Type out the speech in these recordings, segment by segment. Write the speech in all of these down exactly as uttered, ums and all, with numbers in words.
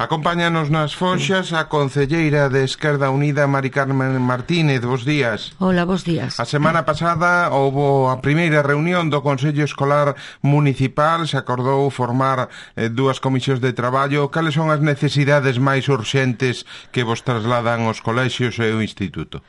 Acompáñanos nas Foxas a concelleira de Esquerda Unida, Mari Carmen Martínez. Bos días. Hola, bos días. A semana pasada houbo a primeira reunión do Consello Escolar Municipal. Se acordou formar eh, dúas comisións de traballo. Cales son as necesidades máis urxentes que vos trasladan os colexios e o instituto?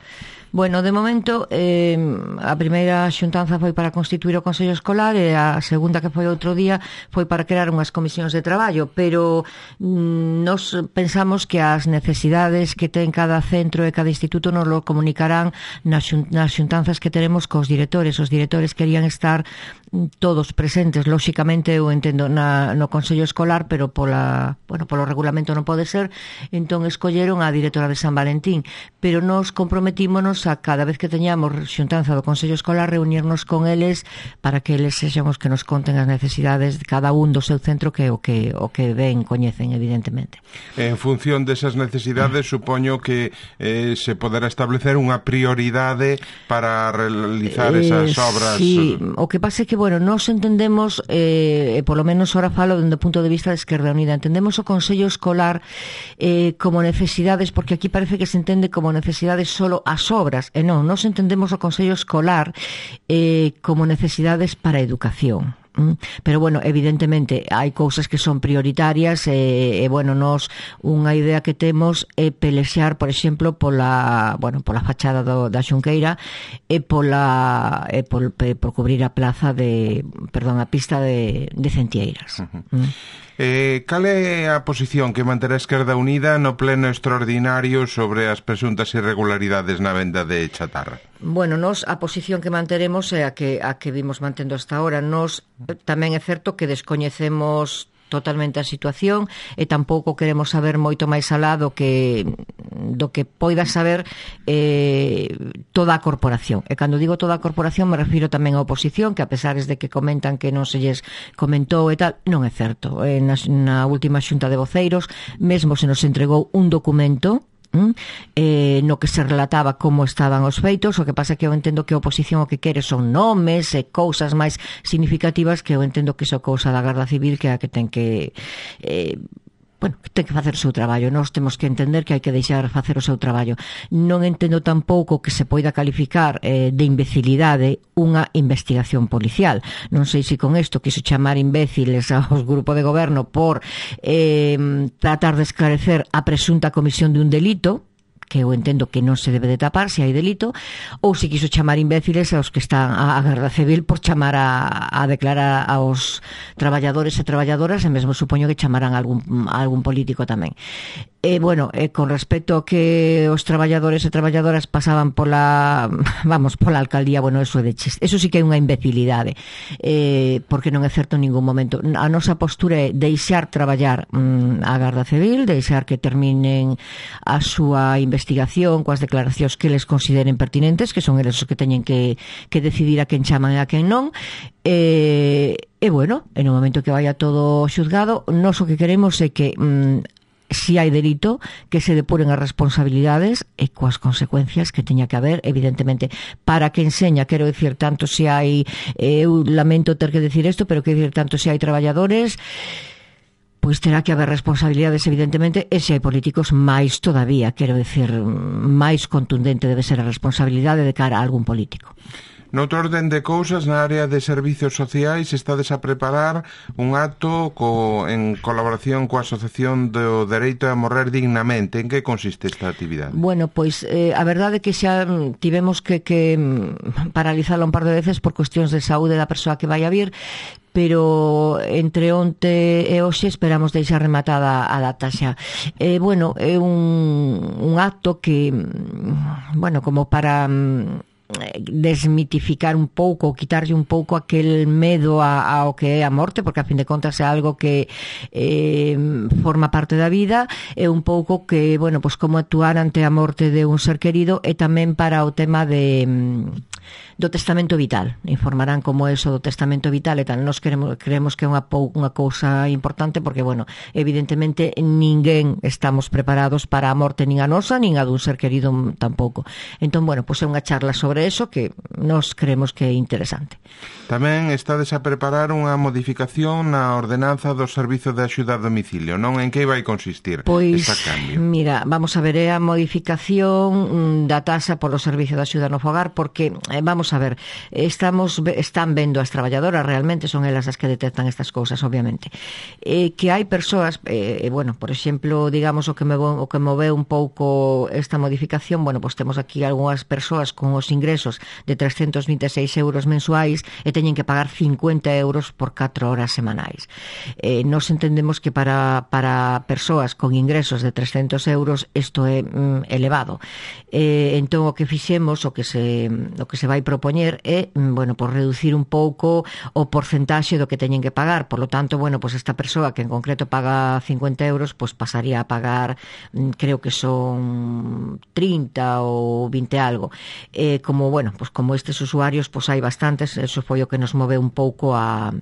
Bueno, de momento, eh, a primeira xuntanza foi para constituir o Consello Escolar e a segunda, que foi outro día, foi para crear unhas comisións de traballo, pero mm, nos pensamos que as necesidades que ten cada centro e cada instituto nos lo comunicarán nas, xun, nas xuntanzas que tenemos cos directores. Os directores querían estar todos presentes, lóxicamente eu entendo na, no Consello Escolar, pero pola, bueno, polo regulamento non pode ser, entón escolleron a directora de San Valentín, pero nos comprometímonos a cada vez que teñamos xuntanza do Consello Escolar reunirnos con eles para que eles sexan os que nos conten as necesidades de cada un do seu centro, que o que o que ven, coñecen, evidentemente. En función desas necesidades, supoño que eh, se poderá establecer unha prioridade para realizar esas obras. Sí, o que pasa é que, bueno, nos entendemos, eh, polo menos ahora falo dende o punto de vista de Esquerda Unida, entendemos o Consello Escolar eh, como necesidades, porque aquí parece que se entende como necesidades solo as obras, e non, nos entendemos o Consello Escolar eh, como necesidades para a educación. Pero, bueno, evidentemente hai cousas que son prioritarias e, e bueno, nos unha idea que temos é pelexar, por exemplo, pola, bueno, pola fachada do, da Xunqueira e pola e por, por cubrir a plaza de, perdón, a pista de, de Centieiras. Uh-huh. Mm. Eh, cal é a posición que manterá a Esquerda Unida no pleno extraordinario sobre as presuntas irregularidades na venda de chatarra? Bueno, nos a posición que manteremos é a que a que vimos mantendo hasta ahora. Nos tamén é certo que descoñecemos totalmente a situación e tampouco queremos saber moito máis alá do que do que poida saber eh, toda a corporación. E cando digo toda a corporación me refiro tamén á oposición, que a pesar de que comentan que non se lles comentou e tal, non é certo. Eh, na, na última xunta de voceiros mesmo se nos entregou un documento Mm, eh, no que se relataba como estaban os feitos. O que pasa é que eu entendo que a oposición o que quere son nomes e cousas máis significativas, que eu entendo que iso cousa da Garda Civil, que é a que ten que eh, bueno, que ten que facer o seu traballo. Nós temos que entender que hai que deixar facer o seu traballo. Non entendo tampouco que se poida calificar eh, de imbecilidade unha investigación policial. Non sei se con isto quiso chamar imbéciles aos grupos de goberno por eh, tratar de esclarecer a presunta comisión de un delito, que eu entendo que non se debe de tapar se hai delito, ou se quiso chamar imbéciles aos que están a Garda Civil por chamar a, a declarar aos traballadores e traballadoras, e mesmo supoño que chamarán a algún, a algún político tamén. E, bueno, e con respecto a que os traballadores e traballadoras pasaban pola, vamos, pola alcaldía, bueno, eso é de chiste. Eso sí que é unha imbecilidade, eh, porque non é certo en ningún momento. A nosa postura é deixar traballar mm, a Garda Civil, deixar que terminen a súa investigación coas declaracións que les consideren pertinentes, que son eles os que teñen que, que decidir a quen chaman e a quen non. E, e bueno, en o momento que vaya todo xuzgado, nós o que queremos é que mm, si hai delito, que se depuren as responsabilidades e coas consecuencias que teña que haber, evidentemente, para que enseña, quero dicir, tanto se hai, eu lamento ter que decir isto, pero quero dicir, tanto se hai traballadores, pois terá que haber responsabilidades, evidentemente, e se hai políticos, máis todavía, quero dicir, máis contundente debe ser a responsabilidade de cara a algún político. Noutro orden de cousas, na área de servicios sociais estades a preparar un acto co, en colaboración coa Asociación do Dereito a Morrer Dignamente. En que consiste esta actividade? Bueno, pois eh, a verdade é que xa tivemos que, que paralizarla un par de veces por cuestións de saúde da persoa que vai a vir, pero entre onte e hoxe esperamos deixar rematada a data xa. Eh, bueno, é un, un acto que, bueno, como para desmitificar un pouco, quitarlle un pouco aquel medo a, ao que é a morte, porque a fin de contas é algo que eh, forma parte da vida, é un pouco que, bueno, pues como actuar ante a morte de un ser querido, e tamén para o tema de do testamento vital. Informarán como é eso do testamento vital e tal. Nos queremos, creemos que é unha, unha cousa importante porque, bueno, evidentemente ninguén estamos preparados para a morte nin a nosa, nin a dun ser querido tampouco. Entón, bueno, pois é unha charla sobre eso que nos creemos que é interesante. Tamén estades a preparar unha modificación na ordenanza do Servizo de Axuda a Domicilio, non? En que vai consistir pois, esta cambio? Mira, vamos a ver, é a modificación da taxa polo Servicio de Axuda no Fogar porque, eh, vamos a ver, estamos están vendo as traballadoras, realmente son elas as que detectan estas cousas, obviamente. Eh, que hai persoas, eh, bueno, por exemplo, digamos o que me o que moveu un pouco esta modificación, bueno, pois temos aquí algunhas persoas con os ingresos de trescentos vinte e seis euros mensuais e teñen que pagar cincuenta euros por catro horas semanais. Eh, nos entendemos que para, para persoas con ingresos de trescentos euros isto é mm, elevado. Eh, entón o que fixemos, o que se o que se vai propoñer é, bueno, por reducir un pouco o porcentaxe do que teñen que pagar. Por lo tanto, bueno, pues esta persoa que en concreto paga cincuenta euros, pues pasaría a pagar, creo que son trinta ou vinte algo. Eh, como, bueno, pues como estes usuarios, pues hai bastantes, eso foi o que nos move un pouco a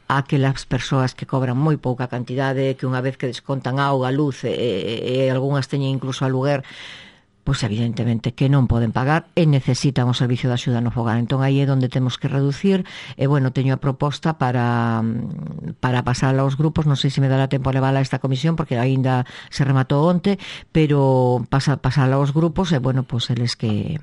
a aquelas persoas que cobran moi pouca cantidade, que unha vez que descontan auga, luz e, e, e algunhas teñen incluso aluguer, pois evidentemente que non poden pagar e necesitan o servicio de axuda no fogar. Entón aí é onde temos que reducir e, bueno, teño a proposta para para pasarla aos grupos, non sei se me dará tempo a levarla a esta comisión porque aínda se rematou onte, pero pasa, pasarla aos grupos e, bueno, pois eles que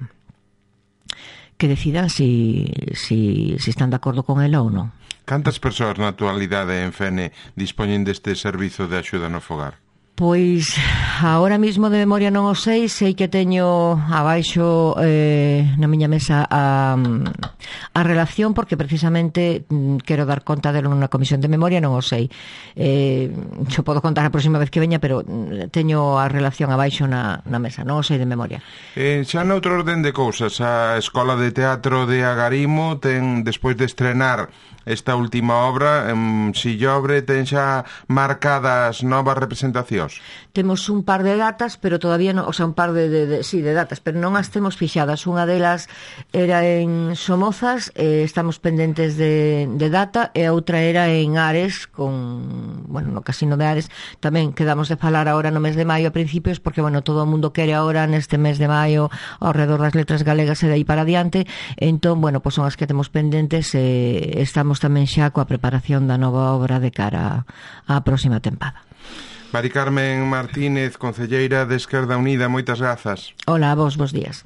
que decidan si, si, si están de acordo con ela ou non. Cantas persoas na actualidade en Fene dispoñen deste servizo de axuda no fogar? Pois, agora mismo de memoria non o sei, sei que teño abaixo eh, na miña mesa a, a relación, porque precisamente mm, quero dar conta delo nunha comisión de memoria, non o sei. Eh, xo podo contar a próxima vez que veña, pero teño a relación abaixo na, na mesa, non o sei de memoria. Eh, xa noutro orden de cousas, a Escola de Teatro de Agarimo ten, despois de estrenar esta última obra, en Sillobre, ten xa marcadas novas representacións? Temos un par de datas, pero todavía non, o sea, un par de, de, de sí, de datas, pero non as temos fixadas. Unha delas era en Somozas, eh, estamos pendentes de, de data, e a outra era en Ares, con, bueno, no Casino de Ares. Tamén quedamos de falar agora no mes de maio a principios, porque, bueno, todo o mundo quere agora neste mes de maio ao redor das letras galegas e de aí para adiante. Entón, bueno, pois son as que temos pendentes e estamos tamén xa coa preparación da nova obra de cara á próxima tempada. Mari Carmen Martínez, concelleira de Esquerda Unida, moitas grazas. Hola, vos, bos días.